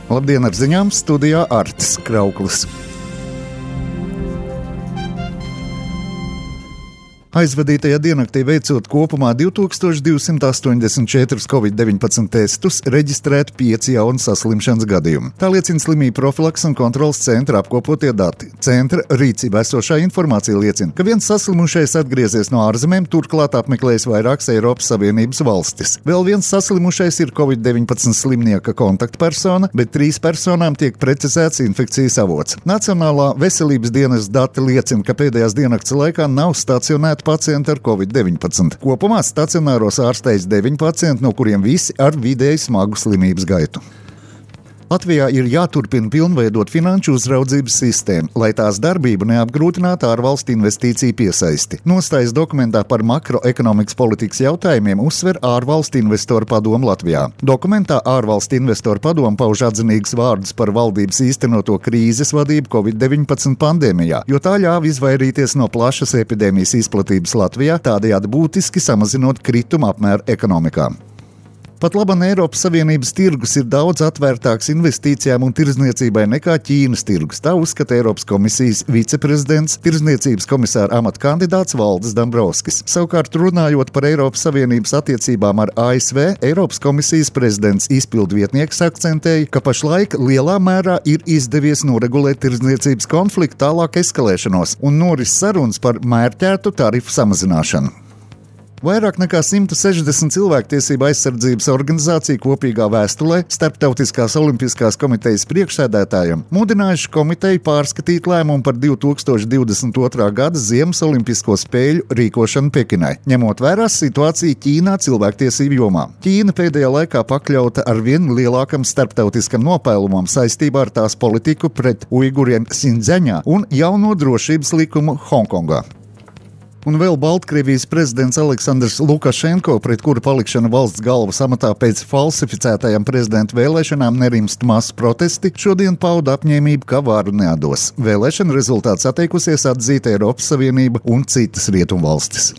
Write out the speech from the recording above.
Labdien, ar ziņām studijā Artis Krauklis. Aizvadītajā diennaktī veicot kopumā 2284 Covid-19 testus, reģistrēti 5 jauni saslimšanas gadījumi. Tā liecina Slimību profilakses un kontroles centra apkopotie dati. Centra rīcībā esošā informācija liecina, ka viens saslimušais atgriezies no ārzemēm, turklāt apmeklējis vairākas Eiropas Savienības valstis. Vēl viens saslimušais ir Covid-19 slimnieka kontaktpersona, bet 3 personām tiek precizēts infekcijas avots. Nacionālā veselības dienesta dati liecina, ka pēdējās diennakts laikā nav stacionēti pacienti ar Covid-19. Kopumā stacionāros ārstējas 9 pacienti, no kuriem visi ar vidēji smagu slimības gaitu. Latvijā ir jāturpina pilnveidot finanšu uzraudzības sistēmu, lai tās darbību neapgrūtinātu ārvalstu investīciju piesaisti. Nostājas dokumentā par makroekonomikas politikas jautājumiem uzsver ārvalstu investoru padomu Latvijā. Dokumentā ārvalstu investoru padomu pauž atzinīgus vārdus par valdības īstenoto krīzes vadību Covid-19 pandēmijā, jo tā ļāva izvairīties no plašas epidēmijas izplatības Latvijā, tādējādi būtiski samazinot krituma apmēru ekonomikā. Pat labam Eiropas Savienības tirgus ir daudz atvērtāks investīcijām un tirdzniecībai nekā Ķīnas tirgus. Tā uzskata Eiropas komisijas viceprezidents, tirdzniecības komisāra amata kandidāts Valdis Dombrovskis. Savukārt, runājot par Eiropas Savienības attiecībām ar ASV, Eiropas komisijas prezidents izpildvietnieks akcentēja, ka pašlaik lielā mērā ir izdevies noregulēt tirdzniecības konfliktu tālāk eskalēšanos un noris sarunas par mērķētu tarifu samazināšanu. Vairāk nekā 160 cilvēktiesību aizsardzības organizāciju kopīgā vēstulē Starptautiskās olimpiskās komitejas priekšsēdētājiem mudinājuši komiteju pārskatīt lēmumu par 2022. gada Ziemas olimpisko spēļu rīkošanu Pekinai, ņemot vērā situāciju Ķīnā cilvēktiesību jomā. Ķīna pēdējā laikā pakļauta ar vien lielākam starptautiskam nopēlumam saistībā ar tās politiku pret uiguriem Sindziaņā un jauno drošības likumu Hongkongā. Un vēl Baltkrievijas prezidents Aleksandrs Lukašenko, pret kuru palikšana valsts galvas amatā pēc falsificētajām prezidenta vēlēšanām nerimst masu protesti, šodien pauda apņēmību, ka varu neatdos. Vēlēšana rezultāts atteikusies atzīt Eiropas Savienība un citas rietumvalstis.